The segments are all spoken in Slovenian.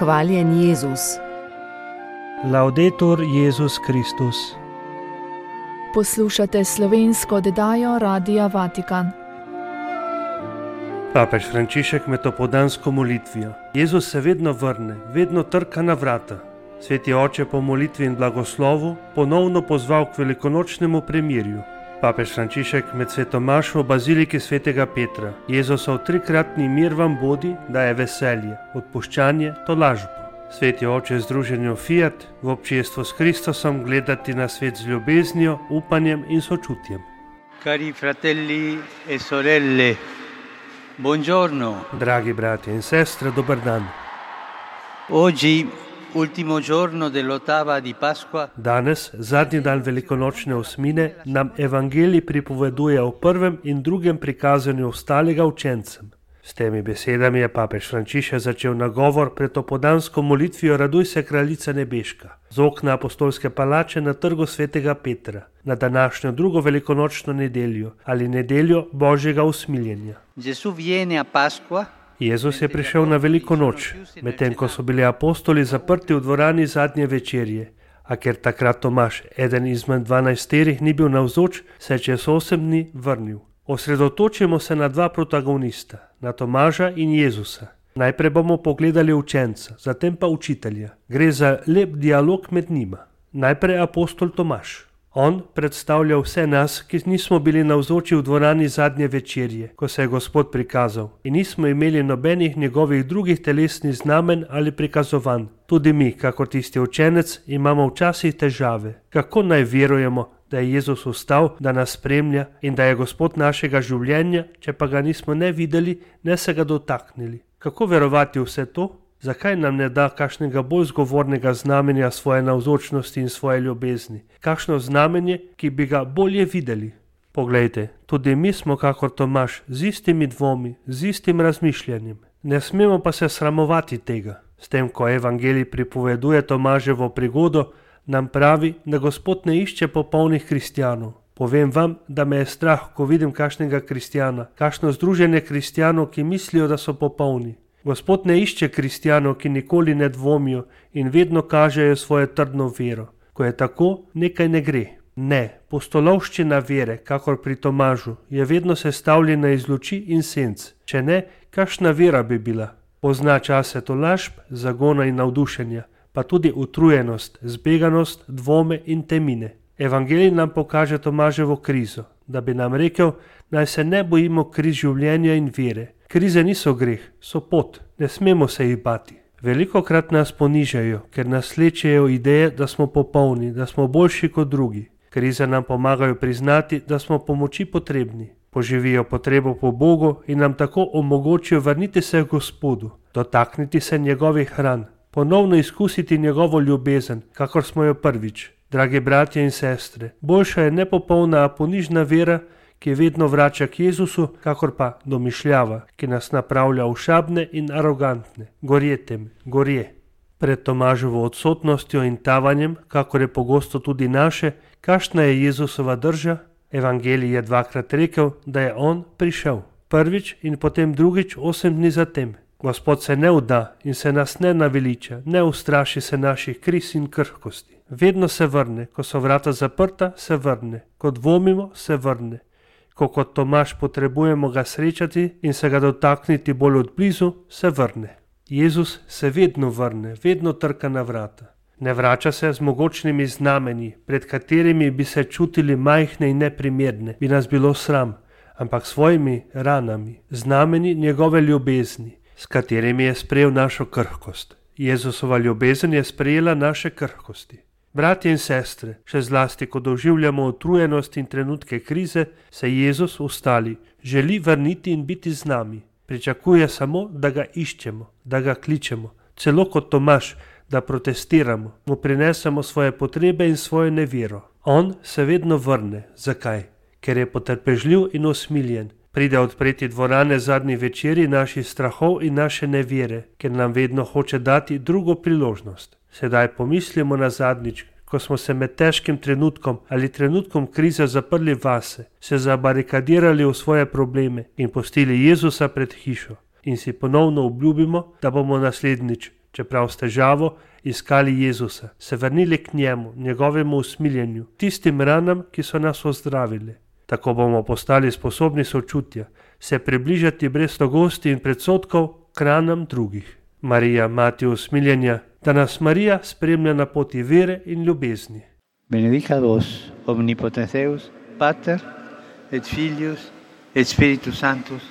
Hvaljen Jezus. Laudetur Jezus Kristus. Poslušate slovensko oddajo Radia Vatikan. Papež Frančišek med opoldansko molitvijo. Jezus se vedno vrne, vedno trka na vrata. Sveti oče po molitvi in blagoslovu ponovno pozval k velikonočnemu premirju. Papež Frančišek med sveto mašo v baziliki svetega Petra. Jezusov trikratni mir vam bodi, daje veselje, odpuščanje, tolažbo. Sveti oče združenju Fiat v občestvu s Kristusom gledati na svet z ljubeznijo, upanjem in sočutjem. Cari fratelli e sorelle, buongiorno. Dragi bratje in sestre, dober dan. Oggi, ultimo giorno dell'ottava di Pasqua. Danes, zadnji dan velikonočne osmine, nam evangelij pripoveduje o prvem in drugem prikazanju ostalega učencem. S temi besedami je papež Frančišek začel nagovor pred opoldansko molitvijo Raduj se, kraljica nebeška, z okna apostolske palače na trgu svetega Petra, na današnjo drugo velikonočno nedeljo ali nedeljo Božjega usmiljenja. Jezus je prišel na veliko noč, medtem ko so bili apostoli zaprti v dvorani zadnje večerje, a ker takrat Tomaž, eden izmed 12, ni bil navzoč, se je čez 8 dni vrnil. Osredotočimo se na dva protagonista, na Tomaža in Jezusa. Najprej bomo pogledali učenca, zatem pa učitelja. Gre za lep dialog med njima. Najprej apostol Tomaž. On predstavlja vse nas, ki nismo bili navzoči v dvorani zadnje večerje, ko se je Gospod prikazal in nismo imeli nobenih njegovih drugih telesnih znamen ali prikazovanj. Tudi mi, kakor tisti učenec, imamo včasih težave. Kako naj verujemo, da je Jezus vstal, da nas spremlja in da je Gospod našega življenja, če pa ga nismo ne videli, ne se ga dotaknili? Kako verovati vse to? Zakaj nam ne da kakšnega bolj zgovornega znamenja svoje navzočnosti in svoje ljubezni? Kakšno znamenje, ki bi ga bolje videli? Poglejte, tudi mi smo kakor Tomaž, z istimi dvomi, z istim razmišljanjem. Ne smemo pa se sramovati tega. S tem, ko evangelij pripoveduje Tomaževo prigodo, nam pravi, da Gospod ne išče popolnih kristjanov. Povem vam, da me je strah, ko vidim kakšnega kristjana, kakšno združenje kristjanov, ki mislijo, da so popolni. Gospod ne išče kristjanov, ki nikoli ne dvomijo in vedno kažejo svojo trdno vero. Ko je tako, nekaj ne gre. Ne, pustolovščina vere, kakor pri Tomažu, je vedno sestavljena iz luči in senc. Če ne, kakšna vera bi bila? Pozna čase tolažb, zagona in navdušenja, pa tudi utrujenost, zbeganost, dvome in temine. Evangelij nam pokaže Tomaževo krizo, da bi nam rekel, naj se ne bojimo kriz življenja in vere. Krize niso greh, so pot, ne smemo se jih bati. Velikokrat nas ponižajo, ker nas slečejo ideje, da smo popolni, da smo boljši kot drugi. Krize nam pomagajo priznati, da smo pomoči potrebni. Poživijo potrebo po Bogu in nam tako omogočijo vrniti se k Gospodu, dotakniti se njegovih hran, ponovno izkusiti njegovo ljubezen, kakor smo jo prvič. Dragi bratje in sestre, boljša je nepopolna, a ponižna vera, ki vedno vrača k Jezusu, kakor pa domišljava, ki nas napravlja ošabne in arogantne. Gorje tem, gorje. Pred Tomaževo odsotnostjo in tavanjem, kakor je pogosto tudi naše, kakšna je Jezusova drža? Evangelij je dvakrat rekel, da je on prišel. Prvič in potem drugič 8 dni zatem. Gospod se ne vda in se nas ne naveliča, ne ustraši se naših kriz in krhkosti. Vedno se vrne, ko so vrata zaprta, se vrne, ko dvomimo, se vrne. Ko kot Tomaž potrebujemo ga srečati in se ga dotakniti bolj od blizu, se vrne. Jezus se vedno vrne, vedno trka na vrata. Ne vrača se z mogočnimi znamenji, pred katerimi bi se čutili majhne in neprimerne, bi nas bilo sram, ampak svojimi ranami, znameni njegove ljubezni, s katerimi je sprejel našo krhkost. Jezusova ljubezen je sprejela naše krhkosti. Bratje in sestre, še zlasti, ko doživljamo utrujenost in trenutke krize, se Jezus ustali, želi vrniti in biti z nami. Pričakuje samo, da ga iščemo, da ga kličemo, celo kot Tomaž, da protestiramo, mu prinesemo svoje potrebe in svojo nevero. On se vedno vrne. Zakaj? Ker je potrpežljiv in usmiljen. Pride odpreti dvorane zadnji večeri naših strahov in naše nevere, ker nam vedno hoče dati drugo priložnost. Sedaj pomislimo na zadnjič, ko smo se med težkim trenutkom ali trenutkom krize zaprli vase, se zabarikadirali v svoje probleme in pustili Jezusa pred hišo in si ponovno obljubimo, da bomo naslednjič čeprav s težavo iskali Jezusa, se vrnili k njemu, njegovemu usmiljenju, tistim ranam, ki so nas ozdravili. Tako bomo postali sposobni sočutja, se približati brez strogosti in predsodkov k ranam drugih. Marija, mati usmiljenja, da nas Marija spremlja na poti vere in ljubezni. Benedicat vos, omnipotens Deus, Pater, et Filius, et Spiritus Sanctus.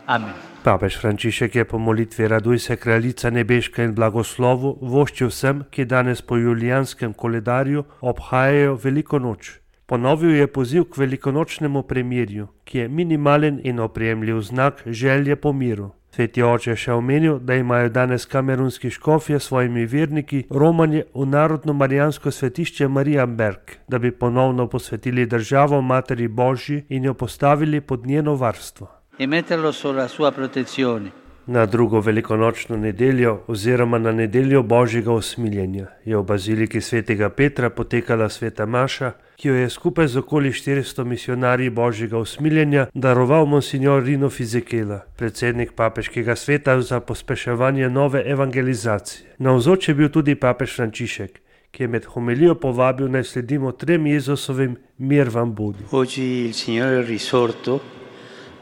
Amen. Papež Frančišek je po molitvi Raduj se kraljica nebeška in blagoslovu voščil vsem, ki danes po julijanskem koledarju obhajajo veliko noč. Ponovil je poziv k velikonočnemu premirju, ki je minimalen in oprijemljiv znak želje po miru. Sveti oče je še omenil, da imajo danes kamerunski škofje s svojimi verniki romanje v narodno marijansko svetišče Marienberg, da bi ponovno posvetili državo Materi Božji in jo postavili pod njeno varstvo. E metterlo sotto la sua protezione. Na drugo velikonočno nedeljo oziroma na nedeljo Božjega usmiljenja je v baziliki svetega Petra potekala sveta maša, ki jo je skupaj z okoli 400 misionarji Božjega usmiljenja daroval monsignor Rino Fizekela, predsednik papeškega sveta za pospeševanje nove evangelizacije. Navzoč je bil tudi papež Frančišek, ki je med homilijo povabil naj sledimo 3 Jezusovim mir vam bodi. Oggi il Signore è risorto,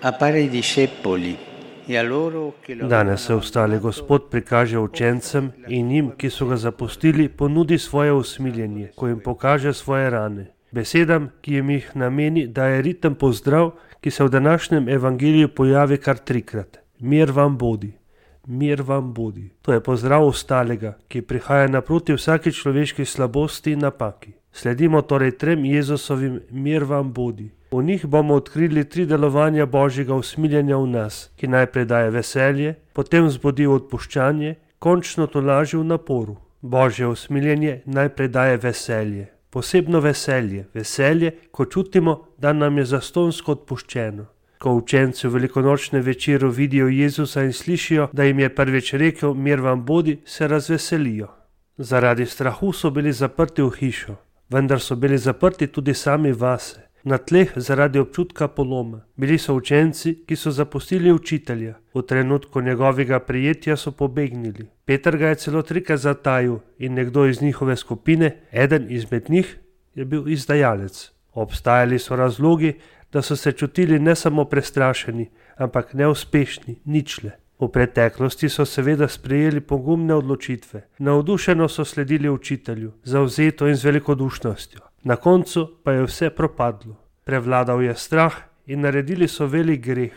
appare ai discepoli. Danes se vstali Gospod prikaže učencem in njim, ki so ga zapustili, ponudi svoje usmiljenje, ko jim pokaže svoje rane. Besedam, ki jim jih nameni, daje ritem pozdrav, ki se v današnjem evangeliju pojavi kar 3-krat. Mir vam bodi, mir vam bodi. To je pozdrav ostalega, ki prihaja naproti vsaki človeški slabosti in napaki. Sledimo torej 3 Jezusovim mir vam bodi. V njih bomo odkrili 3 delovanja Božjega usmiljenja v nas, ki najprej daje veselje, potem vzbudi odpuščanje, končno tolaži v naporu. Božje usmiljenje najprej daje veselje, posebno veselje, veselje, ko čutimo, da nam je zastonjsko odpuščeno. Ko učenci v velikonočnem večeru vidijo Jezusa in slišijo, da jim je prvič rekel mir vam bodi, se razveselijo. Zaradi strahu so bili zaprti v hišo, vendar so bili zaprti tudi sami vase. Na tleh zaradi občutka poloma. Bili so učenci, ki so zapustili učitelja. V trenutku njegovega prijetja so pobegnili. Peter ga je celo 3krat zatajil in nekdo iz njihove skupine, eden izmed njih, je bil izdajalec. Obstajali so razlogi, da so se čutili ne samo prestrašeni, ampak neuspešni, ničle. V preteklosti so seveda sprejeli pogumne odločitve. Navdušeno so sledili učitelju, zavzeto in z velikodušnostjo. Na koncu pa je vse propadlo. Prevladal je strah in naredili so velik greh.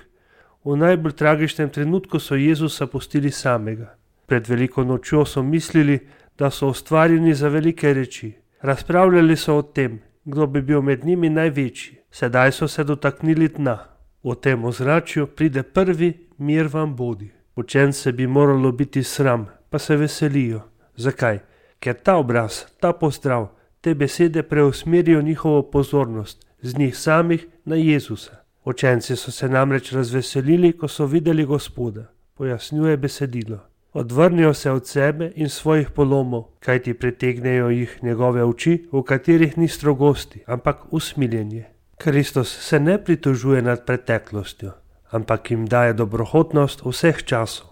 V najbolj tragičnem trenutku so Jezusa pustili samega. Pred veliko nočjo so mislili, da so ustvarjeni za velike reči. Razpravljali so o tem, kdo bi bil med njimi največji. Sedaj so se dotaknili dna. V tem ozračju pride prvi mir vam bodi. Učence bi moralo biti sram, pa se veselijo. Zakaj? Ker ta obraz, ta pozdrav, te besede preusmerijo njihovo pozornost z njih samih na Jezusa. Učenci so se namreč razveselili, ko so videli Gospoda, pojasnjuje besedilo. Odvrnijo se od sebe in svojih polomov, kajti pritegnejo jih njegove oči, v katerih ni strogosti, ampak usmiljenje. Kristus se ne pritožuje nad preteklostjo, ampak jim daje dobrohotnost vseh časov.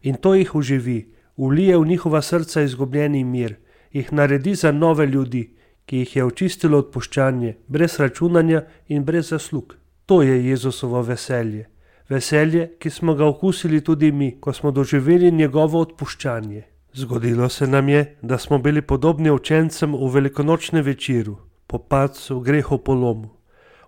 In to jih oživi, vlije v njihova srca izgubljeni mir, jih naredi za nove ljudi, ki jih je očistilo odpuščanje, brez računanja in brez zaslug. To je Jezusovo veselje. Veselje, ki smo ga okusili tudi mi, ko smo doživeli njegovo odpuščanje. Zgodilo se nam je, da smo bili podobni učencem v velikonočnem večeru, po padcu, grehu, polomu.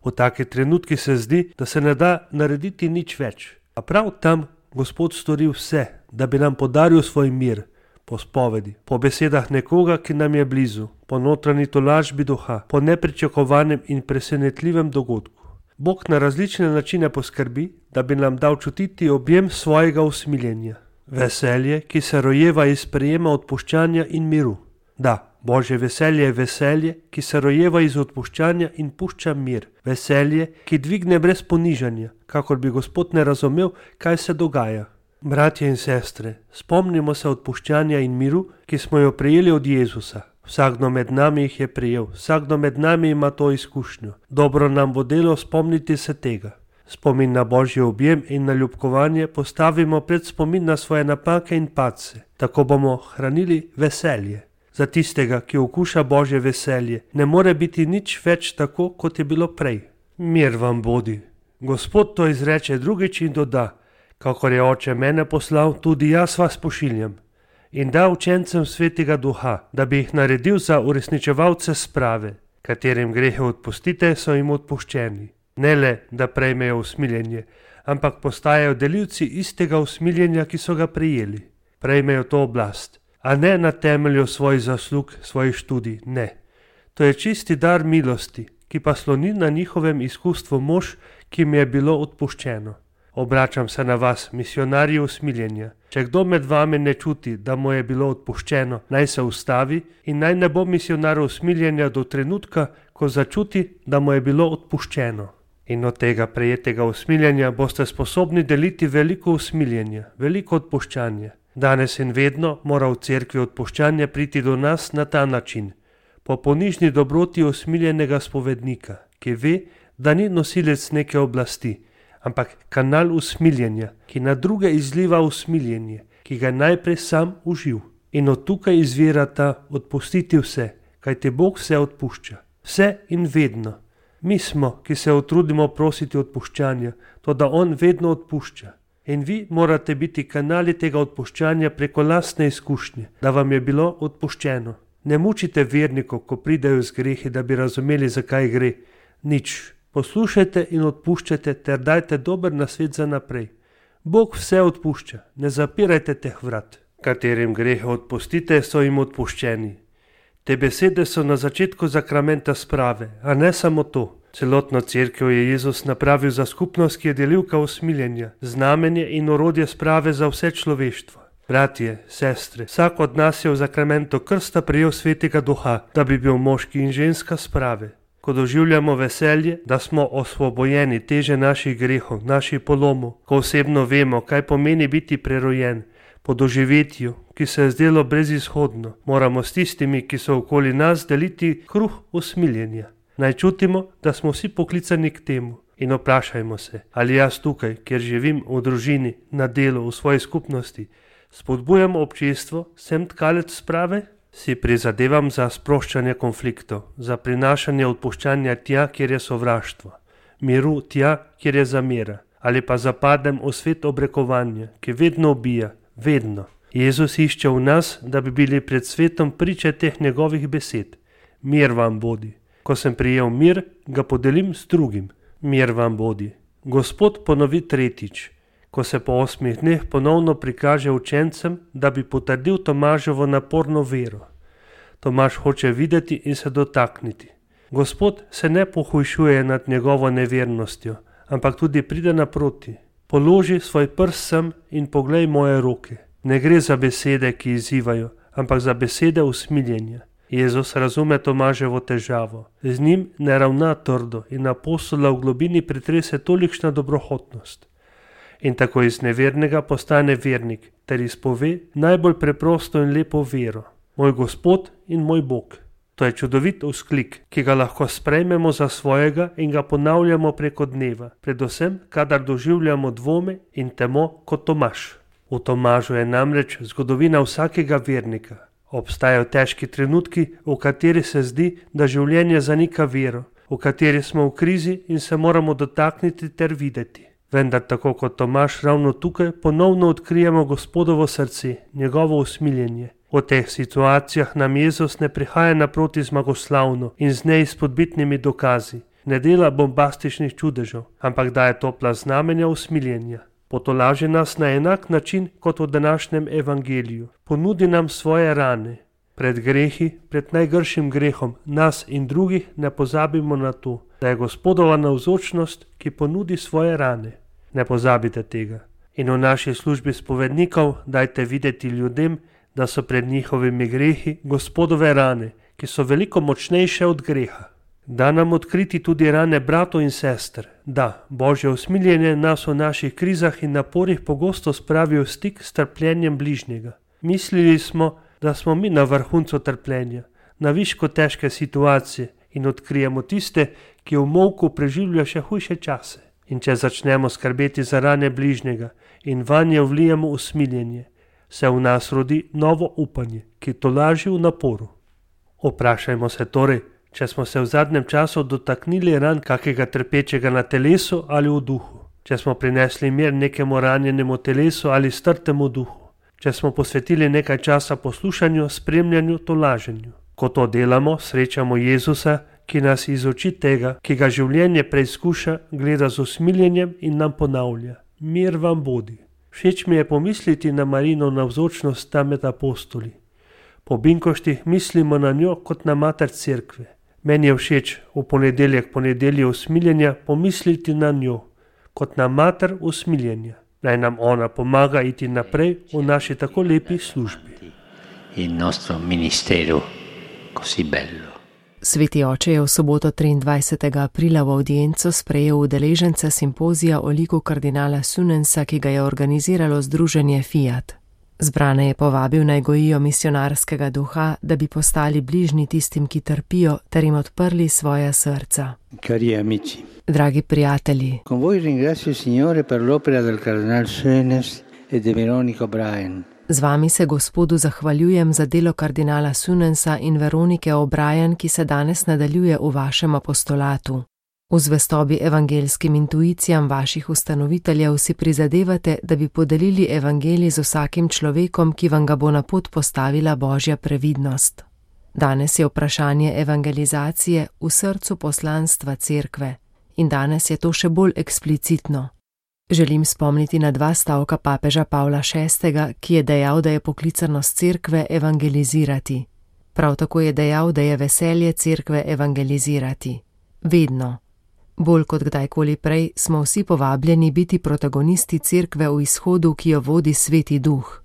V taki trenutki se zdi, da se ne da narediti nič več. A prav tam Gospod stori vse, da bi nam podaril svoj mir, po spovedi, po besedah nekoga, ki nam je blizu, po notranji tolažbi duha, po nepričakovanem in presenetljivem dogodku. Bog na različne načine poskrbi, da bi nam dal čutiti objem svojega usmiljenja. Veselje, ki se rojeva iz sprejema odpuščanja in miru. Da, Božje veselje je veselje, ki se rojeva iz odpuščanja in pušča mir. Veselje, ki dvigne brez ponižanja, kakor bi Gospod ne razumel, kaj se dogaja. Bratje in sestre, spomnimo se odpuščanja in miru, ki smo jo prejeli od Jezusa. Vsakdo med nami jih je prejel, vsakdo med nami ima to izkušnjo. Dobro nam bo delo spomniti se tega. Spomin na Božji objem in na ljubkovanje postavimo pred spomin na svoje napake in padce. Tako bomo hranili veselje. Za tistega, ki okuša Božje veselje, ne more biti nič več tako, kot je bilo prej. Mir vam bodi. Gospod to izreče drugič in doda: kakor je Oče mene poslal, tudi jaz vas pošiljam. In da učencem Svetega Duha, da bi jih naredil za uresničevalce sprave, katerim grehe odpustite, so jim odpuščeni. Ne le, da prejmejo usmiljenje, ampak postajajo delilci istega usmiljenja, ki so ga prejeli. Prejmejo to oblast, a ne na temelju svojih zaslug, svojih študij, ne. To je čisti dar milosti, ki pa sloni na njihovem izkustvu mož, ki mi je bilo odpuščeno. Obračam se na vas, misionarji usmiljenja. Če kdo med vami ne čuti, da mu je bilo odpuščeno, naj se ustavi in naj ne bo misionar usmiljenja do trenutka, ko začuti, da mu je bilo odpuščeno. In od tega prejetega usmiljenja boste sposobni deliti veliko usmiljenja, veliko odpuščanja. Danes in vedno mora v cerkvi odpuščanje priti do nas na ta način. Po ponižni dobroti usmiljenega spovednika, ki ve, da ni nosilec neke oblasti, ampak kanal usmiljenja, ki na druge izliva usmiljenje, ki ga najprej sam uživ. In od tukaj izvira ta odpustiti vse, kajti Bog vse odpušča. Vse in vedno. Mi smo, ki se utrudimo prositi odpuščanja, toda On vedno odpušča. In vi morate biti kanali tega odpuščanja preko lastne izkušnje, da vam je bilo odpuščeno. Ne mučite vernikov, ko pridejo z grehi, da bi razumeli, zakaj gre. Nič. Poslušajte in odpuščajte ter dajte dober nasvet za naprej. Bog vse odpušča, ne zapirajte teh vrat. Katerim grehe odpustite, so jim odpuščeni. Te besede so na začetku zakramenta sprave, a ne samo to. Celotno cerkev je Jezus napravil za skupnost, ki je delilka usmiljenja, znamenje in orodje sprave za vse človeštvo. Bratje, sestre, vsak od nas je v zakramentu krsta prejel Svetega Duha, da bi bil moški in ženska sprave. Ko doživljamo veselje, da smo osvobojeni teže naših grehov, naših polomov, ko osebno vemo, kaj pomeni biti prerojen, po doživetju, ki se je zdelo brezizhodno, moramo s tistimi, ki so okoli nas, deliti kruh usmiljenja. Naj čutimo, da smo vsi poklicani k temu in vprašajmo se, ali jaz tukaj, kjer živim v družini, na delu, v svoji skupnosti, spodbujam občestvo, sem tkalec sprave? Si prizadevam za sproščanje konfliktov, za prinašanje odpuščanja tja, kjer je sovraštvo, miru tja, kjer je zamera, ali pa zapadem v svet obrekovanja, ki vedno ubija, vedno. Jezus išče v nas, da bi bili pred svetom priče teh njegovih besed. Mir vam bodi. Ko sem prijel mir, ga podelim s drugim. Mir vam bodi. Gospod ponovi tretjič, ko se po 8 dneh ponovno prikaže učencem, da bi potrdil Tomaževo naporno vero. Tomaž hoče videti in se dotakniti. Gospod se ne pohujšuje nad njegovo nevernostjo, ampak tudi pride naproti. Položi svoj prst sem in poglej moje roke. Ne gre za besede, ki izzivajo, ampak za besede usmiljenja. Jezus razume Tomaževo težavo. Z njim ne ravna trdo in apostola v globini pretrese tolikšna dobrohotnost. In tako iz nevernega postane vernik, ter izpove najbolj preprosto in lepo vero. Moj Gospod in moj Bog. To je čudovit vzklik, ki ga lahko sprejmemo za svojega in ga ponavljamo preko dneva, predvsem, kadar doživljamo dvome in temo kot Tomaž. V Tomažu je namreč zgodovina vsakega vernika. Obstajajo težki trenutki, v kateri se zdi, da življenje zanika vero, v kateri smo v krizi in se moramo dotakniti ter videti. Vendar tako kot Tomaž ravno tukaj ponovno odkrijemo Gospodovo srce, njegovo usmiljenje. V teh situacijah nam Jezus ne prihaja naproti zmagoslavno in z neizpodbitnimi dokazi, ne dela bombastičnih čudežev, ampak daje topla znamenja usmiljenja. Potolaži nas na enak način kot v današnjem evangeliju. Ponudi nam svoje rane. Pred grehi, pred najgršim grehom, nas in drugih ne pozabimo na to, da je Gospodova navzočnost, ki ponudi svoje rane. Ne pozabite tega. In v naši službi spovednikov dajte videti ljudem, da so pred njihovimi grehi Gospodove rane, ki so veliko močnejše od greha. Da nam odkriti tudi rane bratov in sester. Da, Božje usmiljenje nas v naših krizah in naporih pogosto spravi v stik s trpljenjem bližnjega. Mislili smo, da smo mi na vrhuncu trpljenja, na višku težke situacije in odkrijemo tiste, ki v molku preživljajo še hujše čase. In če začnemo skrbeti za rane bližnjega in vanje vlijemo usmiljenje, se v nas rodi novo upanje, ki tolaži v naporu. Vprašajmo se torej, če smo se v zadnjem času dotaknili ran kakega trpečega na telesu ali v duhu, če smo prinesli mir nekemu ranjenemu telesu ali strtemu duhu, če smo posvetili nekaj časa poslušanju, spremljanju, tolaženju. Ko to delamo, srečamo Jezusa, ki nas iz oči tega, ki ga življenje preizkuša, gleda z usmiljenjem in nam ponavlja: mir vam bodi. Všeč mi je pomisliti na Marijino navzočnost tam med apostoli. Po binkoštih mislimo na njo kot na mater cerkve. Meni je všeč v ponedeljek usmiljenja pomisliti na njo kot na mater usmiljenja. Naj nam ona pomaga iti naprej v naši tako lepi službi. Il nostro ministero così bello. Sveti oče je v soboto 23. aprila v audienco sprejel udeležence simpozija o liku kardinala Sunensa, ki ga je organiziralo združenje Fiat. Zbrane je povabil naj gojijo misionarskega duha, da bi postali bližnji tistim, ki trpijo, ter jim odprli svoja srca. Cari amici, dragi prijatelji, con voi ringrazio il Signore per l'opera del cardinal Sunens e di Veronica O'Brien. Z vami se Gospodu zahvaljujem za delo kardinala Sunensa in Veronike O'Brien, ki se danes nadaljuje v vašem apostolatu. V zvestobi evangeljskim intuicijam vaših ustanoviteljev si prizadevate, da bi podelili evangelij z vsakim človekom, ki vam ga bo na pot postavila Božja previdnost. Danes je vprašanje evangelizacije v srcu poslanstva cerkve in danes je to še bolj eksplicitno. Želim spomniti na 2 stavka papeža Pavla VI., ki je dejal, da je poklicanost cerkve evangelizirati. Prav tako je dejal, da je veselje cerkve evangelizirati. Vedno. Bolj kot kdajkoli prej smo vsi povabljeni biti protagonisti cerkve v izhodu, ki jo vodi Sveti Duh.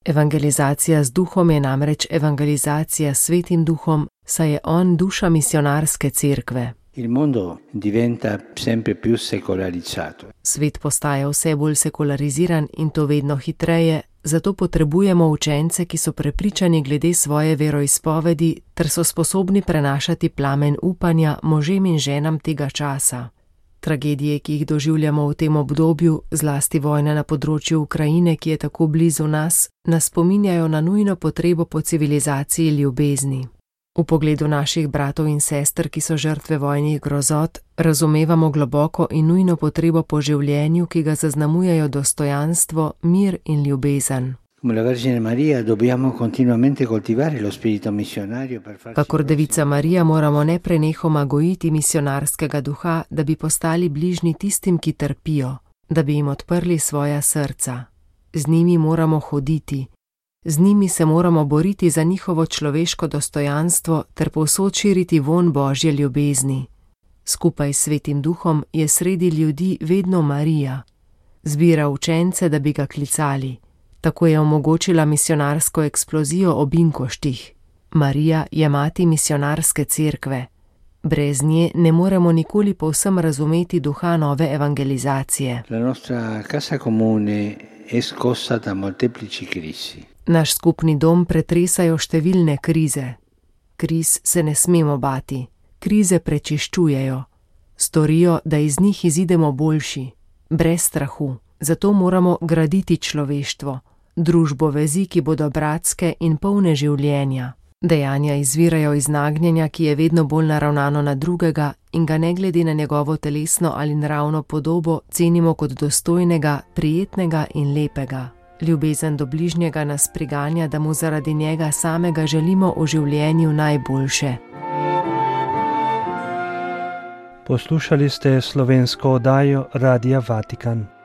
Evangelizacija z duhom je namreč evangelizacija s Svetim Duhom, saj je on duša misionarske cerkve. Il mondo diventa sempre più secolarizzato. Svet postaja vse bolj sekulariziran in to vedno hitreje, zato potrebujemo učence, ki so prepričani glede svoje veroizpovedi ter so sposobni prenašati plamen upanja možem in ženam tega časa. Tragedije, ki jih doživljamo v tem obdobju, zlasti vojna na področju Ukrajine, ki je tako blizu nas, nas spominjajo na nujno potrebo po civilizaciji ljubezni. V pogledu naših bratov in sester, ki so žrtve vojnih grozot, razumevamo globoko in nujno potrebo po življenju, ki ga zaznamujejo dostojanstvo, mir in ljubezen. Kakor Devica Marija moramo neprenehoma gojiti misionarskega duha, da bi postali bližnji tistim, ki trpijo, da bi jim odprli svoja srca. Z njimi moramo hoditi. Z njimi se moramo boriti za njihovo človeško dostojanstvo ter povsod širiti vonj Božje ljubezni. Skupaj s Svetim Duhom je sredi ljudi vedno Marija. Zbira učence, da bi ga klicali. Tako je omogočila misionarsko eksplozijo ob Binkoštih. Marija je mati misionarske cerkve. Brez nje ne moremo nikoli povsem razumeti duha nove evangelizacije. La nostra casa comune è scossa da molteplici crisi. Naš skupni dom pretresajo številne krize. Kriz se ne smemo bati. Krize prečiščujejo. Storijo, da iz njih izidemo boljši, brez strahu. Zato moramo graditi človeštvo, družbo vezi, ki bodo bratske in polne življenja. Dejanja izvirajo iz nagnjenja, ki je vedno bolj naravnano na drugega in ga ne glede na njegovo telesno ali naravno podobo cenimo kot dostojnega, prijetnega in lepega. Ljubezen do bližnjega nas priganja, da mu zaradi njega samega želimo v življenju najboljše. Poslušali ste slovensko oddajo Radia Vatikan.